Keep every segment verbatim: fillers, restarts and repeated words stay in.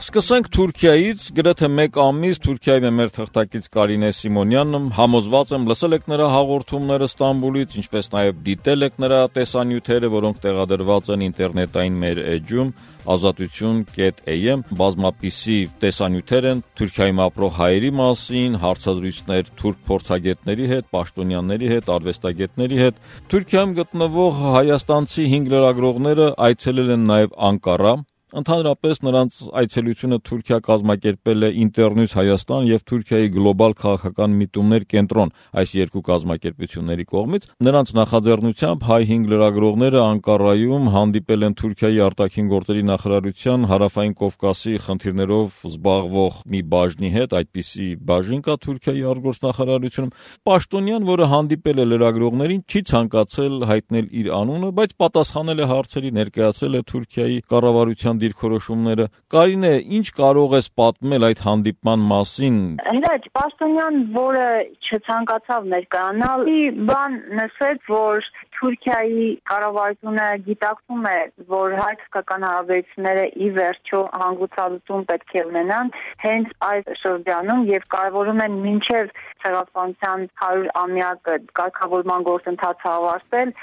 Սկսենք Թուրքիայից, գրեթե մեկ ամիս Թուրքիայում է մեր թղթակից Կարինե Սիմոնյանը, համոզված եմ լսել եք նրա հաղորդումները Ստամբուլից, ինչպես նաև դիտել եք նրա տեսանյութերը, որոնք տեղադրված են ինտերնետային մեր էջում ազատություն կետ էյ էմ, բազմապիսի տեսանյութեր են Թուրքիայում ապրող հայերի մասին, հարցազրույցներ թուրք փորձագետների հետ, պաշտոնյաների հետ, արվեստագետների հետ։ Թուրքիայում գտնվող հայաստանցի հինգ լրագրողները այցելել են նաև Անկարա։ Ընդհանրապես նրանց այցելությունը Թուրքիա կազմակերպել է Ինտերնյուս Հայաստան եւ Թուրքիայի գլոբալ քաղաքական միտումներ կենտրոն այս երկու կազմակերպությունների կողմից։ Նրանց նախաձեռնությամբ հայ հինգ լրագրողները Անկարայում հանդիպել են Թուրքիայի արտաքին գործերի նախարարության հարավային Կովկասի խնդիրներով զբաղվող մի բաժնի հետ, այդպիսի բաժին կա Թուրքիայի արտգործնախարարությունում։ Պաշտոնյան, որը հանդիպել է լրագրողներին, չի ցանկացել հայտնել իր անունը, բայց պատասխանել է հարցերի, ներկայացրել է Թուրքիայի կառավարության դիրքորոշումները։ Կարինե, ինչ կարող ես պատմել այդ հանդիպման մասին։ Հրաչ, պաշտոնյան, որը չցանկացավ ներկայանալ, բան նշեց, որ Թուրքիայի կառավարությունը գիտակցում է, որ հայ-թուրքական հարաբերությունները ի վերջո հանգուցալուծում պետք է ունենան հենց այս շրջանում եւ կարևորում են մինչեւ ցեղասպանության հարյուր-ամյակը կարգավորման գործընթացը ավարտել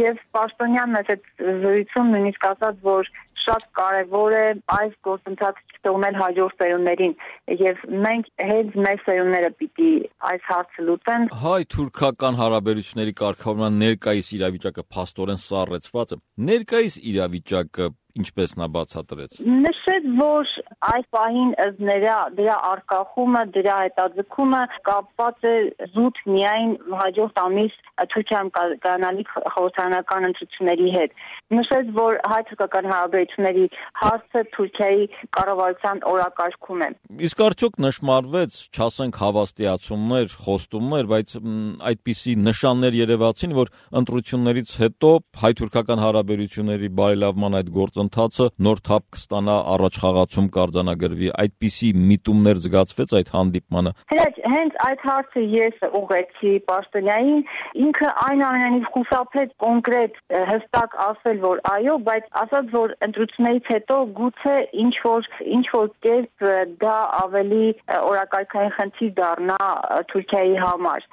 եւ պաշտոնյանն այդ զրույցում նույնիսկ ասաց, որ շատ կարևոր է այս գործընթացը չթողնել հաջորդ սերունդներին եւ մենք հենց մեր սերունդները պիտի այս հարցը լուծեն։ Հայ-թուրքական հարաբերությունների կարգավորման ներկայիս իրավիճակը փաստորեն սառեցված է։ Ներկայիս իրավիճակը ինչպես նա բացատրեց։ Նշեց, որ այս պահին դրա դրա արկախումը, դրա հետաձգումը կապված է զուտ միայն հաջորդ ամիս Թուրքիայում կայանալիք խորհրդարանական ընտրությունների հետ։ Նշեց, որ հայ-թուրքական հարաբերությունների հարցը Թուրքիայի կառավարության օրակարգում է։ Իսկ արդյոք նշմարվեց, չասենք հավաստիացումներ, խոստումներ, բայց այդպիսի նշաններ երևացին, որ ընտրություններից հետո հայ-թուրքական հարաբերությունների բարելավման այդ գործընթացը նոր թափ կստանա, առաջխաղացում կարձանագրվի, այդպիսի միտումներ զգացվեց այդ հանդիպմանը։ Հենց այդ հարցը ես ուղղեցի պաշտոնյային, ինքը այնուամենայնիվ խուսափեց կոնկրետ հստակ ասել, որ այո, բայց ասաց, որ ընտրություններից հետո գուցե ինչ որ ինչ որ կերպ դա ավելի օրակարգային խնդիր դառնա Թուրքիայի համար։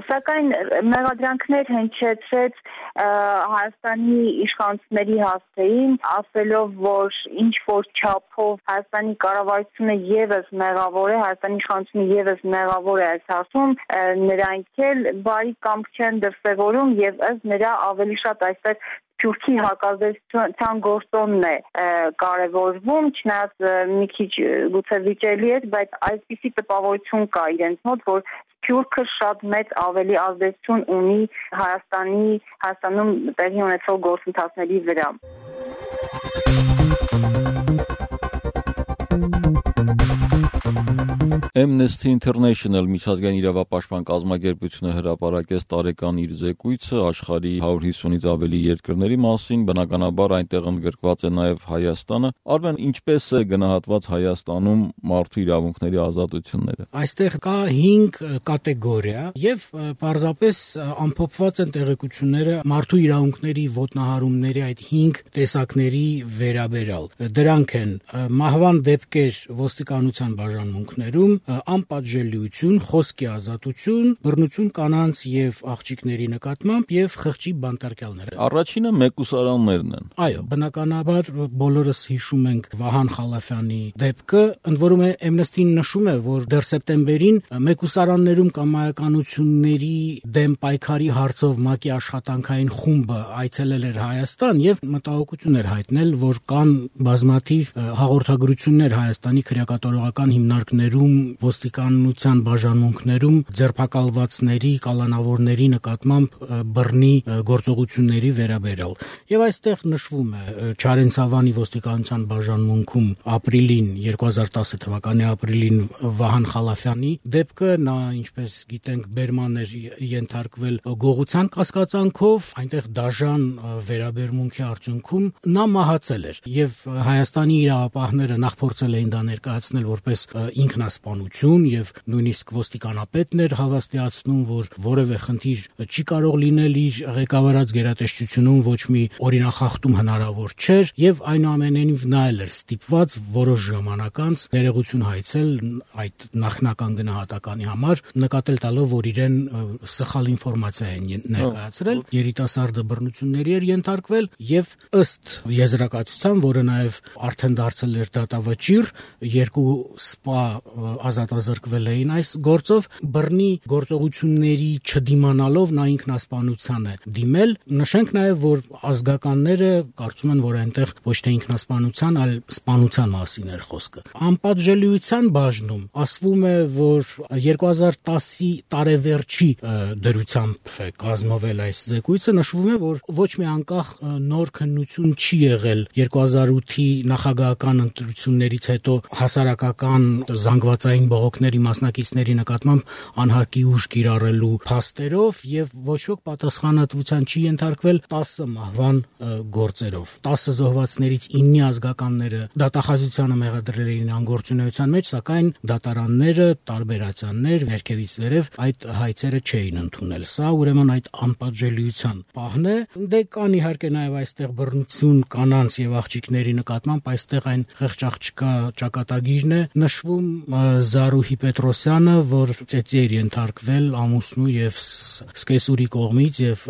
Սակայն մեղադրանքներ հնչեցրեց Հայաստանի իշխանությունների հասցեին, ասելով, որ ինչ որ չափով Հայաստանի կառավարությունը եւս մեղավոր է, Հայաստանի իշխանությունը եւս մեղավոր է այս հարցում, նրանք էլ բարի կամք չեն դրսևորում եւ ըստ նրա ավելի շատ այստեղ Թուրքի հակազդեցության գործոնն է կարևորվում, չնայած մի քիչ գուցե վիճելի է, բայց այսպիսի տպավորություն կա իրենց մոտ, որ Թուրքը շատ մեծ ավելի ազդեցություն ունի Հայաստանի Հայաստանում տեղի ունեցող գործընթացների վրա։ Amnesty International միջազգային իրավապաշտպան կազմակերպությունը հրապարակեց տարեկան իր զեկույցը աշխարհի հարյուր հիսունից ավելի երկրների մասին, բնականաբար այնտեղ ընդգրկված է նաև Հայաստանը։ Արմեն, ինչպես է գնահատված Հայաստանում մարդու իրավունքների ազատությունները։ Այստեղ կա հինգ կատեգորիա եւ պարզապես ամփոփված են տեղեկությունները մարդու իրավունքների ոտնահարումների այդ հինգ տեսակների վերաբերյալ։ Դրանք են մահվան դեպքեր ոստիկանության բաժանմունքներում, անպատժելիություն, խոսքի ազատություն, բռնություն կանանց եւ աղջիկների նկատմամբ եւ խղճի բանտարկյալները։ Առաջինը մեկուսարաններն են։ Այո, բնականաբար բոլորս հիշում ենք Վահան Խալաֆյանի դեպքը, ընդ որում Amnesty-ն նշում է, որ դեռ սեպտեմբերին մեկուսարաններում կամայականությունների դեմ պայքարի հարցով ՄԱԿ-ի աշխատանքային խումբը այցելել էր Հայաստան եւ մտահոգություն էր հայտնել, որ կան բազմաթիվ հաղորդագրություններ Հայաստանի քրեակատարողական հիմնարկներում, ոստիկանության բաժանմունքներում ձերբակալվածների, կալանավորների նկատմամբ բռնի գործողությունների վերաբերյալ։ Եվ այստեղ նշվում է Չարենցավանի ոստիկանության բաժանմունքում ապրիլին երկու հազար տասը թվականի ապրիլին Վահան Խալաֆյանի դեպքը, նա ինչպես գիտենք բերման էր ենթարկվել գողության կասկածանքով, այնտեղ դաժան վերաբերմունքի արդյունքում նա մահացել էր եւ Հայաստանի իրավապահները նախ փորձել էին դա ներկայացնել որպես ինքնասպանություն, իշխանություն եւ նույնիսկ ոստիկանապետն էր հավաստիացնում, որ որևէ խնդիր չի կարող լինել իր ղեկավարած գերատեսչությունում, ոչ մի օրինախախտում հնարավոր չէր եւ այնուամենայնիվ նա էլ էր ստիպված որոշ ժամանակ անց ներողություն հայցել այդ նախնական գնահատականի համար, նկատել տալով, որ իրեն սխալ ինֆորմացիա են ներկայացրել, երիտասարդը բռնությունների էր ենթարկվել եւ ըստ եզրակացության, որը նաեւ արդեն դարձել էր դատավճիռ, երկու սպա ազատազրկվել էին այս գործով, բռնի գործողությունների չդիմանալով նա ինքնասպանության է դիմել։ Նշենք նաեւ, որ ազգականները կարծում են, որ այնտեղ ոչ թե ինքնասպանության, այլ սպանության մասին էր խոսքը։ Անպատժելիության բաժնում ասվում է, որ երկու հազար տասի տարեվերջի դրությամբ է կազմվել այս զեկույցը, նշվում է, որ ոչ մի անկախ նոր քննություն չի եղել երկու հազար ութի նախագահական ընտրություններից հետո հասարակական զանգվածային բողոքների մասնակիցների նկատմամբ անհարկի ուժ կիրառելու փաստերով եւ ոչ ոք պատասխանատվության չի ենթարկվել տասը մահվան գործերով։ տասը զոհվածներից իննի ազգականները դատախազությանը մեղադրել էին անգործունեության մեջ, սակայն դատարանները, տարբերացաններ, վերքերից վերև այդ հայցերը չէին ընդունել։ Սա ուրեմն այդ անպատժելիության պահն է։ Դե կան իհարկե նաև այստեղ բռնություն կանանց եւ աղջիկների նկատմամբ, այստեղ այն խեղճ-աղջկա ճակատագիրն է, նշվում Զարուհի Պետրոսյանը, որ ծեծի էր ենթարկվել ամուսնու եւ սկեսուրի կողմից եւ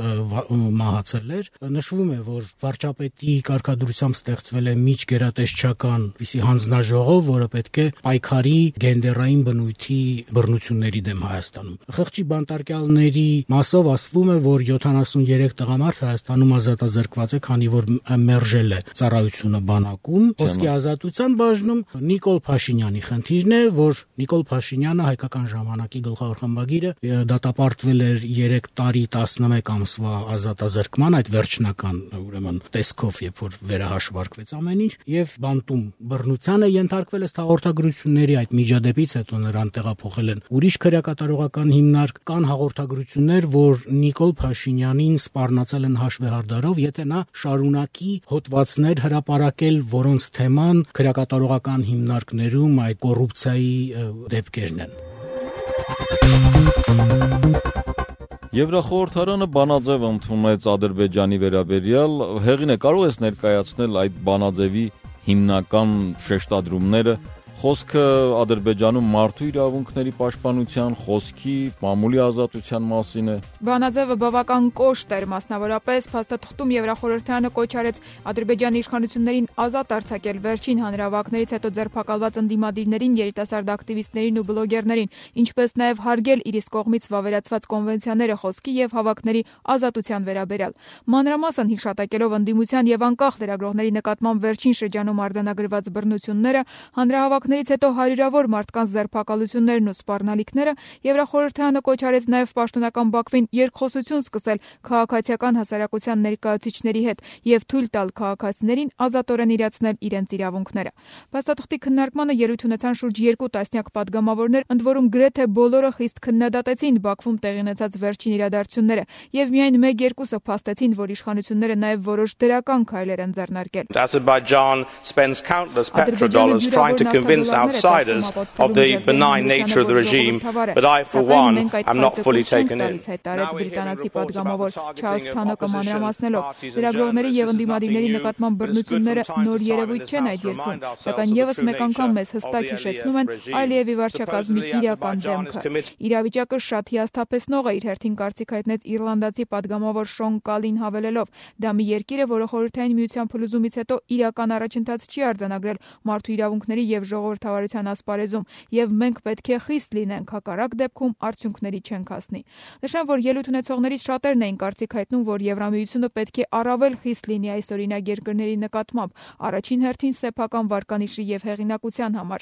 մահացել էր։ Նշվում է, որ վարչապետի կարգադրությամբ ստեղծվել է միջգերատեսչական պիսի հանձնաժողով, որը պետք է պայքարի գենդերային բնույթի բռնությունների դեմ Հայաստանում։ Խղճի բանտարկյալների մասով ասվում է, որ յոթանասուներեք տղամարդ Հայաստանում ազատազրկված է, քանի որ մերժել է ծառայությունը բանակում։ Ոսկե ազատության բաժնում Նիկոլ Փաշինյանի խնդիրն է, որ Նիկոլ Փաշինյանը հայկական ժամանակի գլխավոր խմբագիրը դատապարտվել էր երեք տարի տասնմեկ ամսվա ազատազրկման, այդ վերջնական ուրեմն տեսքով, երբ որ վերահաշվարկվեց ամեն ինչ, եւ բանտում բռնության է ենթարկվել ըստ հաղորդագրությունների, այդ միջադեպից հետո նրան տեղափոխել են ուրիշ քրեակատարողական հիմնարկ, կան հաղորդագրություններ, որ Նիկոլ Փաշինյանին սպառնացել են հաշվեհարդարով, եթե նա շարունակի հոդվածներ հրապարակել, որոնց թեման քրեակատարողական հիմնարկներում այդ կոռուպցիայի դեպքերն են։ Եվրախորհրդարանը բանաձև ընդունեց Ադրբեջանի վերաբերյալ, Հեղինե, կարող ես ներկայացնել այդ բանաձևի հիմնական շեշտադրումները, խոսքը Ադրբեջանում մարդու իրավունքների պաշտպանության, խոսքի, մամուլի ազատության մասին է։ Բանաձևը բավական կոշտ էր, մասնավորապես փաստաթղթում Եվրախորհրդարանը կոչ արեց Ադրբեջանի իշխանություններին ազատ արձակել վերջին հանրահավաքներից հետո ձերբակալված ընդդիմադիրներին, երիտասարդ ակտիվիստներին ու բլոգերներին, ինչպես նաև հարգել իր իսկ կողմից վավերացված կոնվենցիաները խոսքի եւ հավաքների ազատության վերաբերյալ։ Մանրամասն հիշատակելով ընդդիմության եւ անկախ լրագրողների նկատմամբ վերջին շրջանում արձանագրված բռնությունները, հանրահավաքներից հետո հարյուրավոր մարդկանց ձերբակալություններն ու սպառնալիքները, Եվրախորհրդարանը կոչ արեց նաև պաշտոնական Բաքվին երկխոսություն սկսել քաղաքացիական հասարակության ներկայացուցիչների հետ եւ թույլ տալ քաղաքացիներին ազատորեն իրացնել իրենց իրավունքները։ Փաստաթղթի քննարկմանը ելույթ ունեցան շուրջ երկու տասնյակ падգամավորներ, ընդ որում գրեթե բոլորը խիստ քննադատեցին Բաքվում տեղի ունեցած վերջին իրադարձությունները եւ միայն մեկ-երկուսը փաստեցին, որ իշխանությունները նաև որոշ դրական քայլեր են ձեռնարկել։ Azerbaijan spends countless petrodollars trying to convince outsiders of the benign nature of the regime, but I, for one, am not fully taken in. Բրիտանացի падգամավոր Չարլզ Թանոկը մանրամասնելով, լրագրողների եւ ընդդիմադիրների նկատմամբ բռնությունները նոր երևույթ չեն այդ երկրում, սակայն եւս մեկ անգամ մեզ հստակ հիշեցնում են Ալիևի վարչակազմի իրական դեմքը։ Իրավիճակը շատ հիասթափեցնող է, իր հերթին կարծիք հայտնեց իռլանդացի падգամավոր Շոն Կալին հավելելով. դա մի երկիր է, որը խորհրդային միության փլուզումից հետո իրական առաջընթաց չի արձանագրել մարդու իրավունքների եւ ժողովրդավարության ասպարեզում, եւ մենք պետք է խիստ լինենք, հակառակ դեպքում արդյունքների չենք հասնի։ Նշեմ, որ ելույթ ունեցողներից շատերն էին կարծիք հայտնում, որ Եվրամիությունը պետք է առավել խիստ լինի այս օրինակ երկրների նկատմամբ, առաջին հերթին սեփական վարկանիշի եւ հեղինակության համար։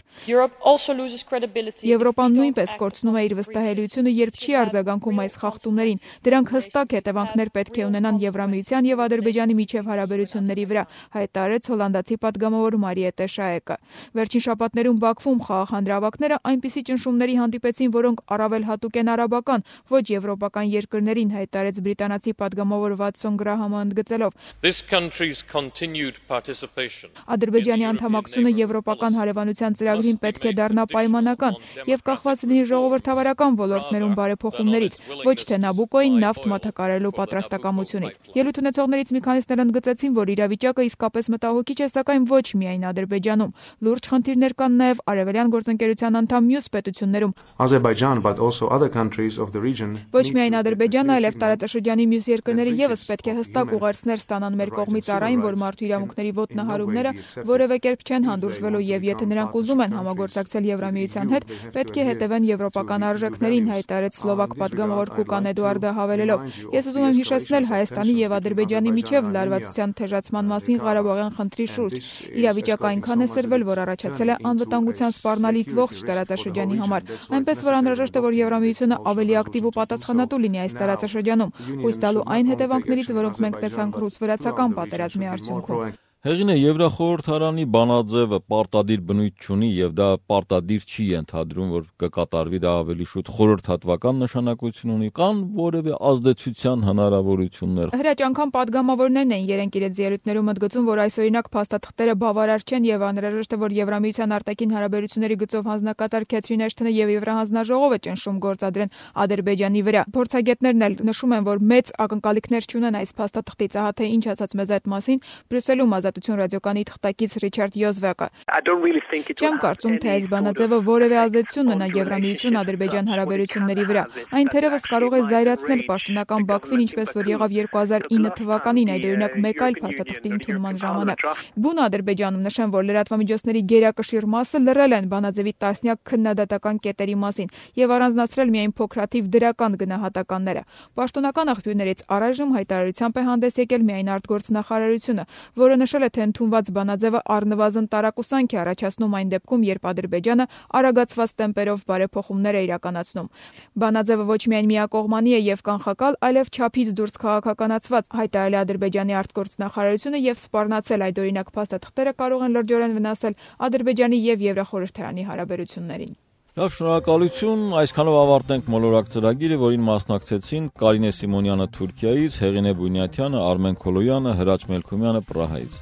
Եվրոպան նույնպես կորցնում է իր վստահելիությունը, երբ չի արձագանքում այս խախտումներին։ Դրանք հստակ հետևանքներ պետք է ունենան Եվրամիության եւ Ադրբեջանի միջև հարաբերությունների վրա, հայտարարեց հոլանդացի падգամավոր Մարիետե Շաեկը։ Վերջին շաբաթ շաբաթներում Բաքվում խաղաղ հանրահավաքները այնպիսի ճնշումների հանդիպեցին, որոնք առավել հատուկ են արաբական, ոչ եվրոպական երկրներին, հայտարարեց բրիտանացի падգամավոր Վատսոն Գրահամը ընդգծելով. Ադրբեջանի անդամակցությունը եվրոպական հարևանության ծրագրին պետք է դառնա պայմանական եւ կախված լինի ժողովրդավարական ոլորտներում բարեփոխումներից, ոչ թե Նաբուկոին նավթ մատակարարելու պատրաստակամությունից։ Ելույթ ունեցողներից մի քանիսն ընդգծեցին, որ իրավիճակը իսկապես մտահոգիչ է, սակայն ոչ միայն Ադրբեջանում։ Լուրջ խնդիրներ կան նաեւ արևելյան գործընկերության անդամ մյուս պետություններում։ Ոչ միայն Ադրբեջանը, այլև տարածաշրջանի մյուս երկրները եւս պետք է հստակ ուղերձներ ստանան մեր կողմից առ այն, որ մարդու իրավունքների ոտնահարումները որևէ կերպ չեն հանդուրժվելու եւ եթե նրանք ուզում են համագործակցել Եվրամիության հետ, պետք է հետևեն եվրոպական արժեքներին, հայտարարեց սլովակ падգամավոր Կուկան Էդուարդը հավելելով. Ես ուզում եմ հիշեցնել Հայաստանի եւ Ադրբեջանի միջև լարվածության թեժացման մասին Ղարաբաղյան խնդրի շուրջ։ Իրավիճակը այնքան է սրվել, որ առաջացել է անվտանգության սպառնալիք ողջ տարածաշրջանի համար, այնպես որ անհրաժեշտ է, որ Եվրամիությունը ավելի ակտիվ ու պատասխանատու լինի այս տարածաշրջանում, հույս տալու այն հետևանքներից, որոնք մենք տեսանք ռուս-վրացական պատերազմի արդյունքում։ Հեղին է Եվրախորհրդարանի բանաձևը պարտադիր բնույթ չունի եւ դա պարտադիր չի ենթադրում, որ կկատարվի, դա ավելի շուտ խորհրդատվական նշանակություն ունի, կան որևէ ազդեցության հնարավորություններ։ Հրաչ անգամ падգամավորներն են երենք իրենց ելույթներում ընդգծում, որ այսօրինակ փաստաթղթերը բավարար չեն եւ անհրաժեշտ է, որ Եվրամիության արտաքին հարաբերությունների գծով հանձնակատար Քեթրին Էշթոնը եւ Եվրահանձնաժողովը ճնշում գործադրեն Ադրբեջանի վրա։ Փորձագետներն էլ նշում են, որ մեծ ակնկալիքներ չունեն այս փաստաթղթից, ահա թե ինչ ասաց մեզ այդ մասին Բրյուսելում Ազատություն ռադիոկայանի թղթակից Ռիչարդ Յոզվակը։ Չեմ կարծում, թե այս բանաձևը որևէ ազդեցություն ունենա Եվրամիություն-Ադրբեջան հարաբերությունների վրա։ Այն թերևս կարող է զայրացնել պաշտոնական Բաքվին, ինչպես որ եղավ երկու հազար ինը թվականին, այդ օրինակ մեկ այլ փաստաթղթի ընդունման ժամանակ։ Բուն Ադրբեջանում նշեմ, որ լրատվամիջոցների գերակշիռ մասը լռել են բանաձևի տասնյակ քննադատական կետերի մասին եւ առանձնացրել միայն փոքրաթիվ դրական գնահատականները։ Պաշտոնական աղբյուրներից առայժմ հայտարարությամբ է հանդես եկել միայն արտգործնախարարությունը, որը նշել է, թե ընդունված բանաձևը առնվազն տարակուսանք է առաջացնում այն դեպքում, երբ Ադրբեջանը արագացված տեմպերով բարեփոխումներ է իրականացնում։ Բանաձևը ոչ միայն միակողմանի է եւ կանխակալ, այլև չափից դուրս քաղաքականացված, հայտարարել է Ադրբեջանի արտգործնախարարությունը եւ սպառնացել այդ օրինակ փաստաթղթերը կարող են լրջորեն վնասել Ադրբեջանի եւ Եվրախորհրդարանի հարաբերություններին։ Լավ, շնորհակալություն, այսքանով ավարտենք մոլորակ ծրագիրը, որին մասնակցեցին Կարինե Սիմոնյանը Թուրքիայից, Հեղինե Բունյաթյանը, Արմեն Քոլոյանը, Հրաչ Մելքումյանը Պրահայից։